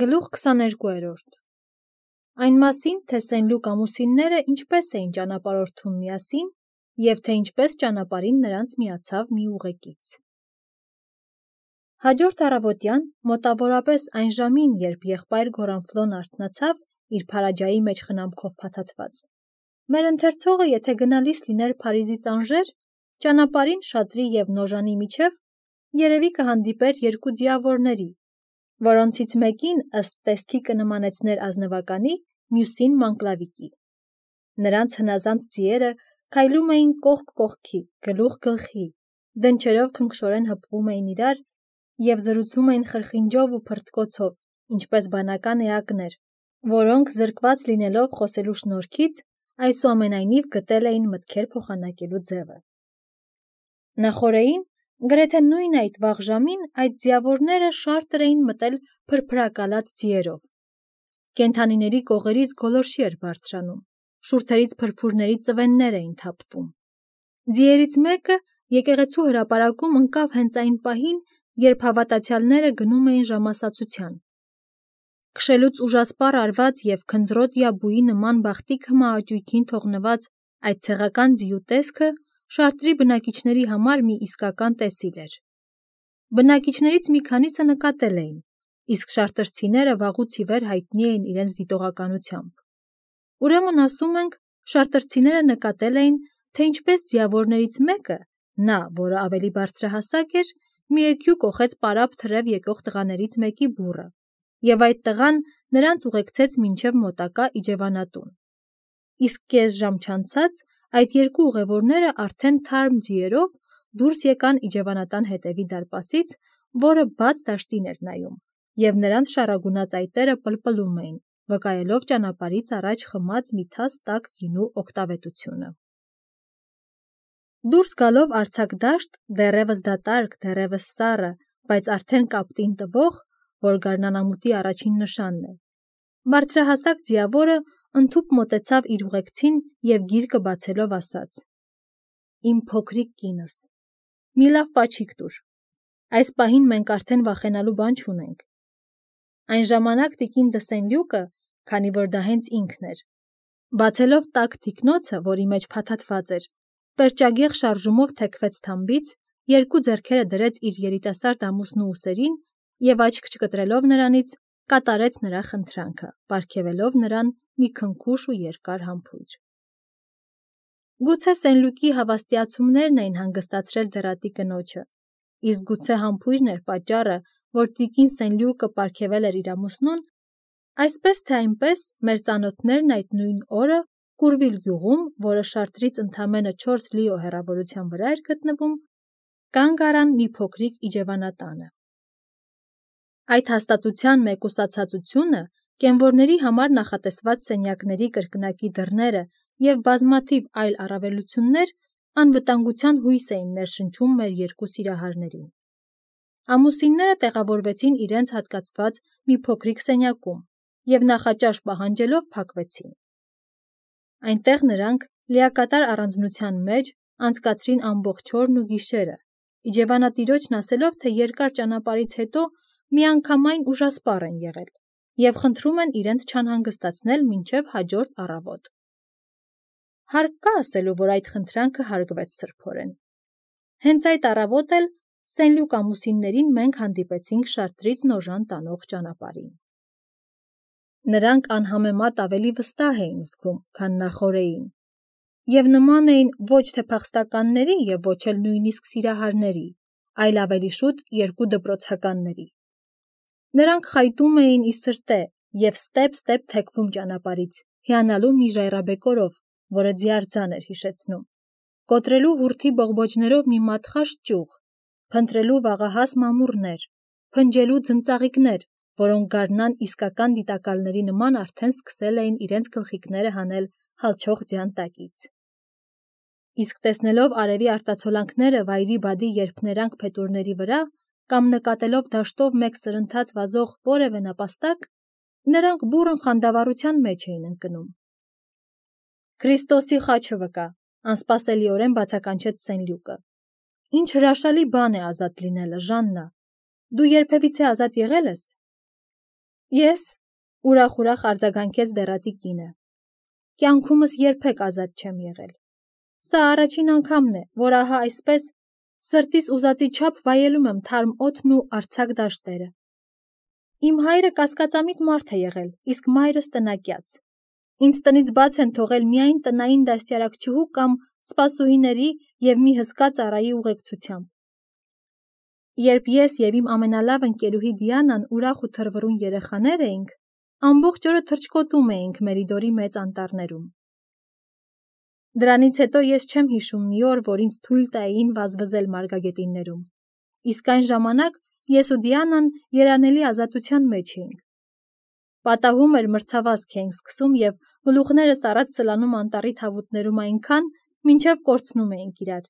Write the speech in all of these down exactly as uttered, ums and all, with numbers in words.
Գլուխ քսաներկուերորդ Այն մասին, թե Սենլուկ ամուսինները ինչպես էին ճանապարհորդում միասին և թե ինչպես ճանապարհին նրանց միացավ մի ուղեկից։ Հաջորդ առավոտյան, մոտավորապես այն ժամին, երբ եղբայր Գորանֆլոն արթնացավ, իր փարաջայի մեջ խնամքով փաթաթված, մեր ընթերցողը, եթե գնալիս լիներ Փարիզից Անժեր, ճանապարհին շատրի և Նոժանի միջև երևի կհանդիպեր երկու ձիավորների, որոնցից մեկին ըստ տեսքի կնմանեցներ ազնվականի, մյուսին մանկլավիկի։ Նրանց հնազանդ ձիերը քայլում էին կողք կողքի, գլուխ գլխի, դնչերով քնքշորեն հպվում էին իրար և զրուցում էին խրխինջով ու փռթկոցով, ինչպես բանական էակներ, որոնք զրկված լինելով խոսելու շնորհքից, այսուամենայնիվ գտել էին մտքեր փոխանակելու ձևը։ Նախօրեին, գրեթե նույն այդ վաղ ժամին, այդ ձիավորները շարտր էին մտել փրփրակալած ձիերով։ Կենդանիների կողերից գոլորշի էր բարձրանում, շուրթերից փրփուրների ծվեններ էին թափվում։ Ձիերից մեկը եկեղեցու հրապարակում ընկավ հենց այն պահին, երբ հավատացյալները գնում էին ժամասացության։ Քշելուց ուժասպառ արված և քնձռոտ յաբուի նման բախտիկ հմահաճույքին թողնված այդ ցեղական ձիու տեսքը շարտրի բնակիչների համար մի իսկական տեսիլ էր։ Բնակիչներից մի քանիսը նկատել էին, իսկ շարտրցիները վաղուց ի վեր հայտնի էին իրենց դիտողականությամբ։ Ուրեմն ասում ենք, շարտրցիները նկատել էին, թե ինչպես ձիավորներից մեկը, նա, որը ավելի բարձրահասակ էր, մի էգյու կոխեց պարապ թրև եկող տղաներից մեկի բուռը, և այդ տղան նրանց ուղեկցեց մինչև մոտակա իջևանատուն։ Իսկ կես ժամ չանցած այդ երկու ուղևորները արդեն թարմ ձիերով դուրս եկան իջևանատան հետևի դարպասից, որը բաց դաշտին էր նայում, և նրանց շառագունած այտերը պլպլում էին, վկայելով ճանապարհից առաջ խմած մի թաս տաք գինու օգտավետությունը։ Դուրս գալով արձակ դաշտ, դեռևս դատարկ, դեռևս սառը, բայց արդեն կապտին տվող, որ գարնանամուտի առաջին նշանն է, բարձրահասակ ձիավորը ընդհուպ մոտեցավ իր ուղեկցին և գիրկը բացելով ասաց. «Իմ փոքրիկ կինս, մի լավ պաչիկ տուր, այս պահին մենք արդեն վախենալու բան չունենք»։ Այն ժամանակ տիկին դը Սենլյուկը, քանի որ դա հենց ինքն էր, բացելով տաք թիկնոցը, որի մեջ փաթաթված էր, պերճագեղ շարժումով թեքվեց թամբից, երկու ձեռքերը դրեց իր երիտասարդ ամուսնու ուսերին և աչք չկտրելով նրանից, կատարեց նրա խնդրանքը, պարգևելով նրան մի քնքուշ ու երկար համբույր։ Գուցե Սենլյուկի հավաստիացումներն էին հանգստացրել դեռատի կնոջը, իսկ գուցե համբույրն էր պատճառը, որ տիկին Սենլյուկը պարգևել էր իր ամուսնուն, այսպես թե այնպես մեր ծանոթներն այդ նույն օրը Կուրվիլ գյուղում, որը շարտրից ընդամենը չորս լիո հեռավորության վրա էր գտնվում, կանգ առան մի փոքրիկ իջևանատանը։ Այդ հաստատության մեկուսացածությունը, կենվորների համար նախատեսված սենյակների կրկնակի դռները և բազմաթիվ այլ առավելություններ անվտանգության հույս էին ներշնչում մեր երկու սիրահարներին։ Ամուսինները տեղավորվեցին իրենց հատկացված մի փոքրիկ սենյակում և նախաճաշ պահանջելով փակվեցին։ Այնտեղ նրանք, լիակատար առանձնության մեջ, անցկացրին ամբողջ օրն ու գիշերը, իջևանատիրոջն ասելով, թե երկար ճանապարհից հետո միանգամայն ուժասպառ են եղել և խնդրում են իրենց չանհանգստացնել մինչև հաջորդ առավոտ։ Հարկ կա ասելու, որ այդ խնդրանքը հարգվեց սրբորեն։ Հենց այդ առավոտ էլ Սենլյուկ ամուսիններին մենք հանդիպեցինք շարտրից Նոժան տանող ճանապարհին։ Նրանք անհամեմատ ավելի վստահ էին զգում, քան նախօրեին, և նման էին ոչ թե փախստականների և ոչ էլ նույնիսկ սիրահարների, այլ ավելի շուտ երկու դպրոցականների։ Նրանք խայտում էին ի սրտե և ստեպ-ստեպ թեքվում ճանապարհից, հիանալու մի ժայռաբեկորով, որը ձիարձան էր հիշեցնում, կոտրելու հուրթի բողբոջներով մի մատխաշ ճյուղ, փնտրելու վաղահաս մամուռներ, փնջելու ձնծաղիկներ, որոնք գարնան իսկական դիտակալների նման արդեն սկսել էին իրենց գլխիկները հանել հալչող ձյան տակից։ Իսկ տեսնելով արևի արտացոլանքները վայրի բադի երփներանգ փետուրների վրա կամ նկատելով դաշտով մեկ սրընթաց վազող որևէ նապաստակ, նրանք բուռն խանդավառության մեջ էին ընկնում։ «Քրիստոսի խաչը վկա», անսպասելիորեն բացականչեց Սենլյուկը։ «Ինչ հրաշալի բան է ազատ լինելը, Ժաննա, դու երբևիցե ազատ եղե՞լ ես»։ Ես, ուրախ-ուրախ արձագանքեց դեռատի կինը, կյանքումս երբեք ազատ չեմ եղել։ Սա առաջին անգամն է, որ ահա այսպես սրտիս ուզածի չափ վայելում եմ թարմ օդն ու արձակ դաշտերը։ Իմ հայրը կասկածամիտ մարդ է եղել, իսկ մայրս տնակյաց։ Ինձ տնից բաց են թողել միայն տնային դաստիարակչուհու կամ սպասուհիների և մի հսկա ծառայի ուղեկցությամբ։ Երբ ես և իմ ամենալավ ընկերուհի Դիանան ուրախ ու թռվռուն երեխաներ էինք, ամբողջ օրը թռչկոտում էինք Մերիդորի մեծ անտառներում։ Դրանից հետո ես չեմ հիշում մի օր, որ ինձ թույլ տային վազվզել մարգագետիններում, իսկ այն ժամանակ ես ու Դիանան երանելի ազատության մեջ էինք։ Պատահում էր մրցավազք էինք սկսում և գլուխներս առաջ սլանում անտառի թավուտներում այնքան, մինչև կորցնում էինք իրար։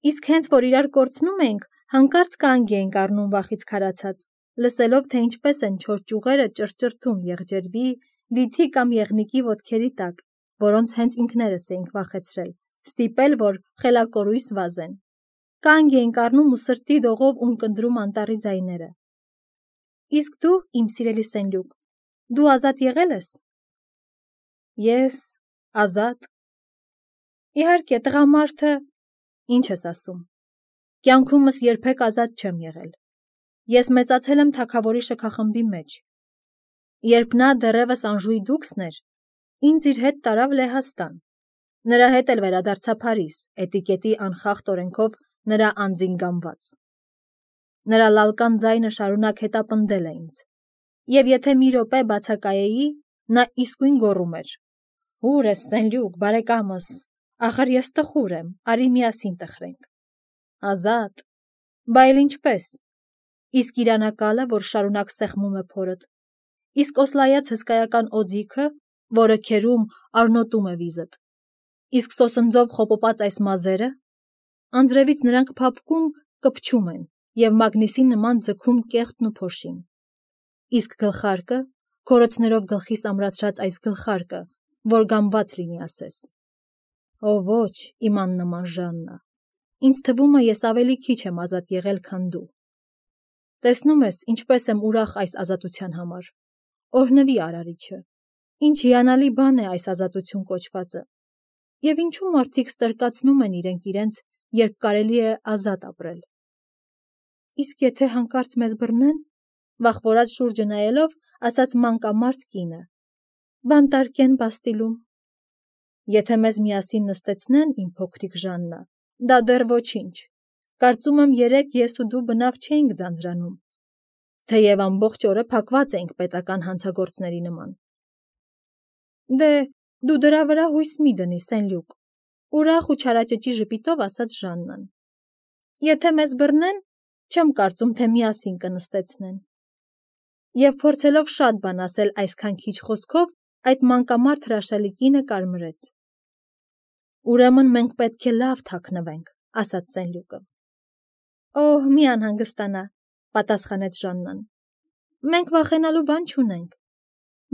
Իսկ հենց որ իրար կորցնում էինք, հանկարծ կանգ էինք առնում վախից քարացած, լսելով, թե ինչպես են չոր ճյուղերը ճռճռթում եղջերվի, վիթի կամ եղնիկի ոտքերի տակ, որոնց հենց ինքներս էինք վախեցրել, ստիպել, որ խելակորույս վազեն։ Կանգ էինք առնում ու սրտի դողով ունկնդրում անտառի ձայները։ Իսկ դու, իմ սիրելի Սենյուկ, դու ազատ եղել ես։ Ես ազատ։ Իհարկե, տղամարդը, ինչ ես ասում։ Կյանքումս երբեք ազատ չեմ եղել։ Ես մեծացել եմ թագավորի շքախմբի մեջ։ Երբ նա դեռևս Անժուի դուքսն էր, ինձ իր հետ տարավ Լեհաստան։ Նրա հետ էլ վերադարձա Փարիզ, էտիկետի անխախտ օրենքով նրա անձին գամված։ Նրա լալկան ձայնը շարունակ հետապնդել է ինձ։ Եվ եթե մի րոպե բացակայեի, նա իսկույն գոռում էր. «Ո՞ւր ես, Սենյուկ, բարեկամս, ախր ես տխուր եմ, արի միասին տխրենք»։ Ազատ։ Բա էլ ինչպես։ Իսկ իրանակալը, որ շարունակ սեղմում է փորդ, իսկ օսլայած հսկայական օձիքը, որը քերում արնոտում է վիզդ, իսկ սոսնձով խոպոպած այս մազերը, անձրևից նրանք փափկում, կպչում են և մագնիսի նման ձգում կեղտն ու փոշին։ Իսկ գլխարկը, քորոցներով գլխիս ամրացրած այս գլխարկը, որ գամված լինի ասես։ Օ ոչ, իմ աննման Ժաննա, ինձ թվում է ես ավելի քիչ եմ ազատ եղել, քան դու։ Տեսնում ես, ինչպես եմ ուրախ այս ազատության համար։ Օրհնվի Արարիչը։ Ինչ հիանալի բան է այս ազատություն կոչվածը։ Եվ ինչու մարդիկ ստրկացնում են իրենք իրենց, երբ կարելի է ազատ ապրել։ Իսկ եթե հանկարծ մեզ բռնեն, վախվորած շուրջը նայելով, ասաց մանկամարդ կինը, բանտարկեն Բաստիլում։ Եթե մեզ միասին նստեցնեն, իմ փոքրիկ Ժաննա, դա դեռ ոչինչ։ Կարծում եմ երեկ ես ու դու բնավ չէինք ձանձրանում, թեև ամբողջ օրը փակված էինք պետական հանցագործների նման։ Դե, դու դրա վրա հույս մի դնի, Սենյուկ, ուրախ ու չարաճճի ժպիտով ասաց Ժաննան։ Եթե մեզ բռնեն, չեմ կարծում, թե միասին կնստեցնեն։ Եվ փորձելով շատ բան ասել այսքան քիչ խոսքով, այդ մանկամարդ հրաշալի կինը կարմրեց։ Ուրեմն մենք պետք է լավ թաքնվենք, ասաց Սենյուկը։ Օհ, մի անհանգստանա, պատասխանեց Ժաննան։ Մենք վախենալու բան չունենք։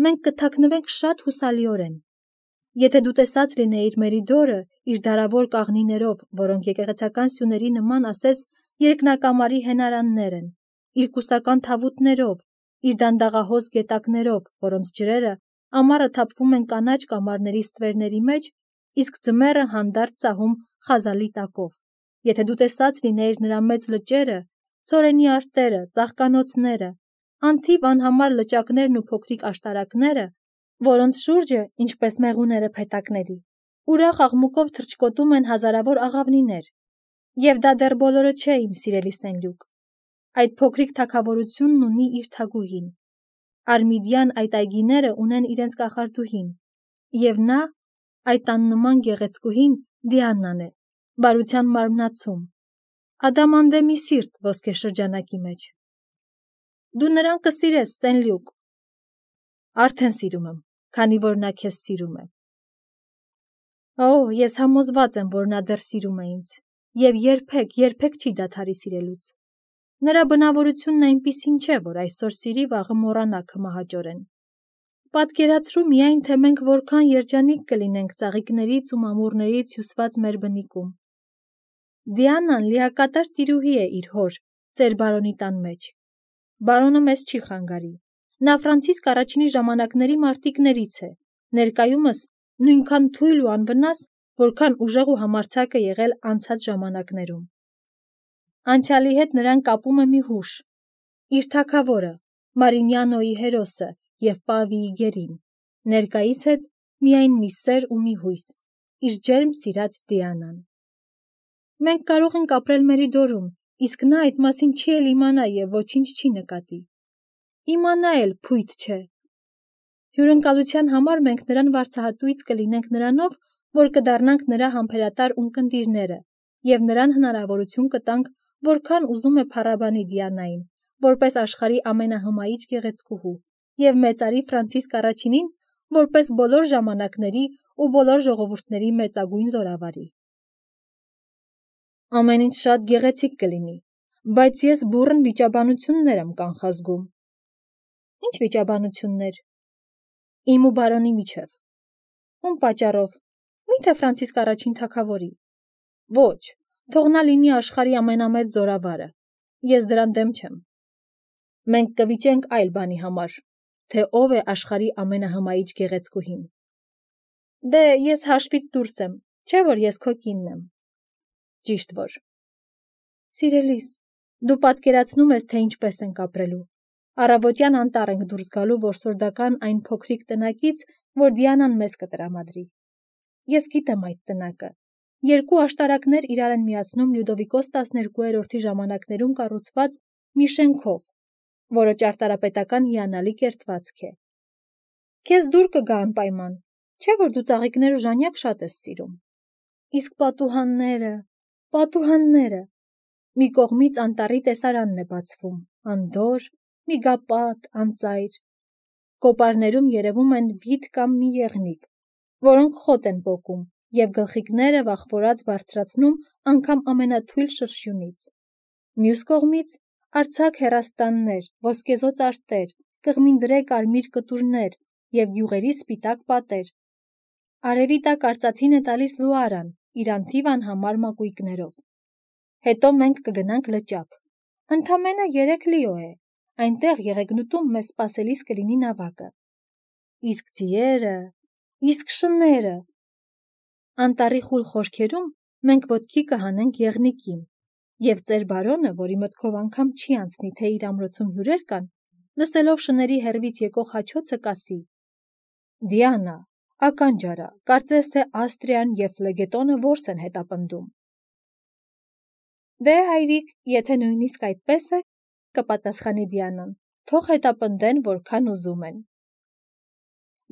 Մենք կթաքնվենք շատ հուսալիորեն։ Եթե դու տեսած լինեիր Մերիդորը իր դարավոր կաղնիներով, որոնք եկեղեցական սյուների նման ասես երկնակամարի հենարաններ են, իր կուսական թավուտներով, իր դանդաղահոս գետակներով, որոնց ջրերը ամառը թափվում են կանաչ կամարների ստվերների մեջ, իսկ ձմեռը հանդարտ սահում խազալի տակով։ Եթե դու տեսած լինեիր նրա մեծ լճերը, ցորենի արտերը, ծաղկանոցները, անթիվ անհամար լճակներն ու փոքրիկ աշտարակները, որոնց շուրջը, ինչպես մեղուները փետակների, ուրախ աղմուկով թռչկոտում են հազարավոր աղավնիներ։ Եվ դա դեռ բոլորը չէ, իմ սիրելի Սենյուկ։ Այդ փոքրիկ թագավորությունն ունի իր թագուհին։ Արմիդյան այդ այգիները ունեն իրենց կախարդուհին, և նա, այդ աննման գեղեցկուհին, Դիանան է, բարության մարմնացում, ադամանդեմի սիրտ ոսկեշրջանակի մեջ։ Դու նրան կսիրես, Սենյուկ։ Արդեն սիրում եմ, քանի որ նա քեզ սիրում է։ Օ, ես համոզված եմ, որ նա դեռ սիրում է ինձ, և երբեք, երբեք չի դադարի սիրելուց։ Նրա բնավորությունն այնպիսին չէ, որ այսօր սիրի, վաղը մոռանա քմահաճորեն։ Պատկերացրու միայն, թե մենք որքան երջանիկ կլինենք ծաղիկներից ու մամուռներից հյուսված մեր բնիկում։ Դիանան լիակատար տիրուհի է իր հոր, ծեր բարոնի տան մեջ։ Բարոնը մեզ չի խանգարի։ Նա Ֆրանցիսկ առաջինի ժամանակների մարտիկներից է, ներկայումս նույնքան թույլ ու անվնաս, որքան ուժեղ ու համարձակ է եղել անցած ժամանակներում։ Անցյալի հետ նրան կապում է մի հուշ, իր թագավորը, Մարինյանոյի հերոսը և Պավիի գերին, ներկայիս հետ միայն մի սեր ու մի հույս, իր ջերմ սիրած Դիանան։ Մենք կարող ենք ապրել Մերիդորում, իսկ նա այդ մասին չի էլ իմանա և ոչինչ չի նկատի։ Իմանա էլ փույթ չէ։ Հյուրընկալության համար մենք նրան վարձահատույց կլինենք նրանով, որ կդառնանք նրա համբերատար ունկնդիրները և նրան հնարավորություն կտանք, որքան ուզում է փառաբանի Դիանային, որպես աշխարհի ամենահմայիչ գեղեցկուհու, և մեծարի Ֆրանցիսկ առաջինին, որպես բոլոր ժամանակների ու բոլոր ժողովուրդների մեծագույն զորավարի։ Ամեն ինչ շատ գեղեցիկ կլինի, բայց ես բուռն վիճաբանություններ եմ կանխազգում։ Ինչ վիճաբանություններ։ Իմ ու բարոնի միջև։ Ում պատճառով։ Միթե Ֆրանցիսկ առաջին թագավորի։ Ոչ, թող նա լինի աշխարհի ամենամեծ զորավարը։ Ես դրան դեմ չեմ։ Մենք կվիճենք այլ բանի համար, թե ով է աշխարհի ամենահմայիչ գեղեցկուհին։ Դե, ես հաշվից դուրս եմ, չէ՞ որ ես քո կինն եմ։ Ճիշտ որ։ Սիրելիս, դու պատկերացնում ես, թե ինչպես ենք ապրելու։ Առավոտյան անտառ ենք դուրս գալու որսորդական այն փոքրիկ տնակից, որ Դիանան մեզ կտրամադրի։ Ես գիտեմ այդ տնակը։ Երկու աշտարակներ իրար են միացնում Լյուդովիկոս տասներկուերորդի ժամանակներում կառուցված մի շենքով, որը ճարտարապետական հիանալի կերտվածք է։ Քեզ դուր կգա անպայման, չէ՞ որ դու ծաղիկներ ու ժանյակ շատ ես սիրում։ Իսկ պատուհանները, պատուհանները։ Մի կողմից անտառի տեսարանն է բացվում, անդորր, միգապատ, անծայր։ Կոպարներում երևում են վիթ կամ մի եղնիկ, որոնք խոտ են պոկում և գլխիկները վախվորած բարձրացնում անգամ ամենաթույլ շրշյունից։ Մյուս կողմից արձակ հեռաստաններ, ոսկեզօծ արտեր, կղմինդրե կարմիր կտուրներ և գյուղերի սպիտակ պատեր։ Արևի տակ արծաթին է տալիս լուարան իր անթիվ անհամար մակույկներով։ Հետո մենք կգնանք լճափ։ Ընդամենը երեք լիո է, այնտեղ եղեգնուտում մեզ սպասելիս կլինի նավակը։ Իսկ ձիերը, իսկ շները։ Անտառի խուլ խորքերում մենք ոտքի կհանենք եղնիկին, և ծեր բարոնը, որի մտքով անգամ չի անցնի, թե իր ամրոցում հյուրեր կան, լսելով շների հեռվից եկող հաչոցը կասի. Դիանա, ականջ արա, կարծես թե Աստրիան և Ֆլեգետոնը որս են հետապնդում։ Դե հայրիկ, եթե նույնիսկ այդպես է, կպատասխանի Դիանան, թող հետապնդեն, որքան ուզում են։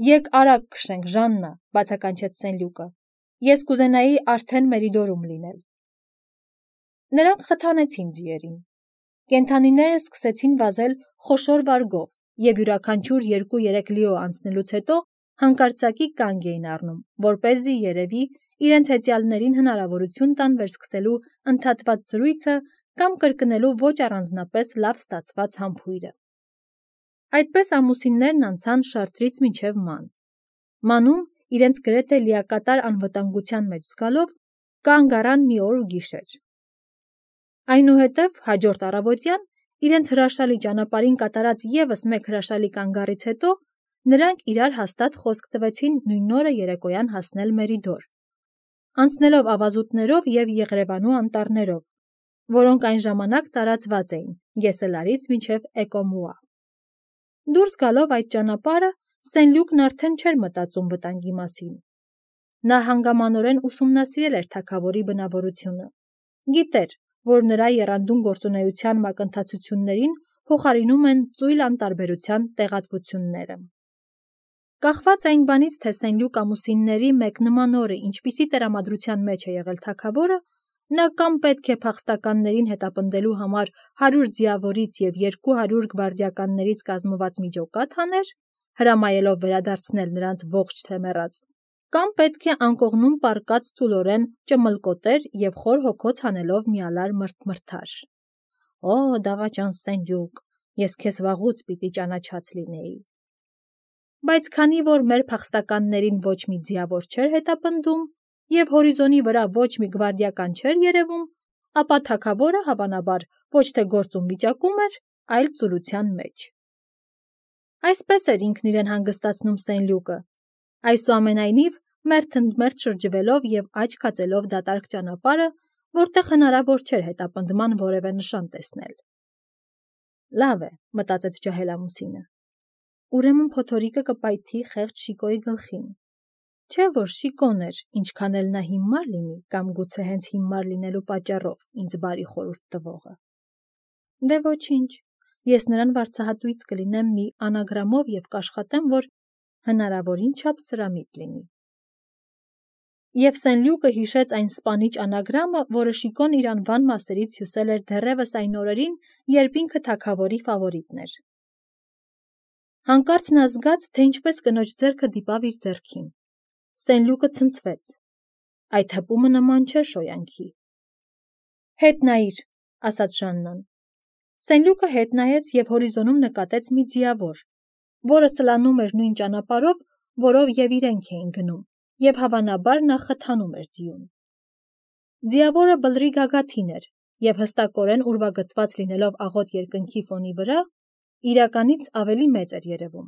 Եկ արագ քշենք, Ժաննա, բացականչեց Սենլյուկը։ Ես կուզենայի արդեն Մերիդորում լինել։ Նրանք խթանեցին ձիերին։ Կենդանիները սկսեցին վազել խոշոր վարգով և յուրաքանչյուր երկու-երեք լիո անցնելուց հետո հանկարծակի կանգ էին առնում, որպեսզի երևի իրենց հեծյալներին հնարավորություն տան վերսկսելու ընդհատված զրույցը կամ կրկնելու ոչ առանձնապես լավ ստացված համբույրը։ Այդպես ամուսիններն անցան Շարտրից մինչև Ման։ Մանում, իրենց գրեթե լիակատար անվտանգության մեջ զգալով, կանգ առան մի օր ու գիշեր։ Այնուհետև հաջորդ առավոտյան, իրենց հրաշալի ճանապարհին կատարած ևս մեկ հրաշալի կանգառից հետո, նրանք իրար հաստատ խոսք տվեցին նույն օրը երեկոյան հասնել Մերիդոր, անցնելով ավազուտներով և Եղրևանու անտառներով, որոնք այն ժամանակ տարածված էին Գեսելարից մինչև Էկոմուա։ Դուրս գալով այդ ճանապարհը, Սենլյուկն արդեն չէր մտածում վտանգի մասին։ Նա հանգամանորեն ուսումնասիրել էր թագավորի բնավորությունը։ Գիտեր, որ նրա եռանդուն գործունեության մակընթացություններին փոխարինում են ծույլ անտարբերության տեղատվությունները։ Կախված այն բանից, թե Սենլյուկ ամուսինների մեկ նման օրը ինչպիսի տրամադրության մեջ է եղել թագավորը, նա կամ պետք է փախստականներին հետապնդելու համար հարյուր ձիավորից և երկու հարյուր գվարդիականներից կազմված միջոկատ հաներ, հրամայելով վերադարձնել նրանց ողջ թե մեռած, կամ պետք է անկողնում պառկած ծուլորեն ճմլկոտեր և խոր հոգոց հանելով միալար մրթմրթար։ Օ, դավաճան Սենլյուկ, ես քեզ վաղուց պիտի ճանաչած լինեի։ Բայց քանի որ մեր փախստականներին ոչ մի ձիավոր չէր հետապնդում և հորիզոնի վրա ոչ մի գվարդիական չէր երևում, ապա թագավորը, հավանաբար, ոչ թե գործուն վիճակում էր, այլ ծուլության մեջ։ Այսպես էր ինքն իրեն հանգստացնում Սեն Լյուկը, այսուամենայնիվ մերթ ընդ մերթ շրջվելով և աչք հածելով դատարկ ճանապարհը, որտեղ հնարավոր չէր հետապնդման որևէ նշան տեսնել։ Լավ է, մտածեց ջահելամուսինը, ուրեմն փոթորիկը կպայթի խեղճ Շիկոյի գլխին, չէ որ Շիկոն էր, ինչքան էլ նա հիմար լինի կամ գուցե հենց հիմար լինելու պատճառով ինձ բարի խորհուրդ տվողը։ Դե ոչինչ, ես նրան վարձահատույց կլինեմ մի անագրամով և կաշխատեմ, որ հնարավորին չափ սրամիտ լինի։ Եվ Սեն Լյուկը հիշեց այն սպանիչ անագրամը, որը Շիկոն իր անվան մասերից հյուսել էր դեռևս այն օրերին, երբ ինքը թագավորի ֆավորիտն էր։ Հանկարծ նա զգաց, թե ինչպես կնոջ ձեռքը դիպավ իր ձեռքին։ Սեն Լյուկը ցնցվեց։ Այդ հպումը նման չէր շոյանքի։ Հետ նայիր, ասաց Ժաննան։ Սեն Լյուկը հետ նայեց և հորիզոնում նկատեց մի ձիավոր, որը սլանում էր նույն ճանապարհով, որով և իրենք էին գնում, և հավանաբար նա խթանում էր ձիուն։ Ձիավորը բլրի գագաթին էր և հստակորեն ուրվագծված լինելով աղոտ երկնքի ֆոնի վրա, իրականից ավելի մեծ էր երևում։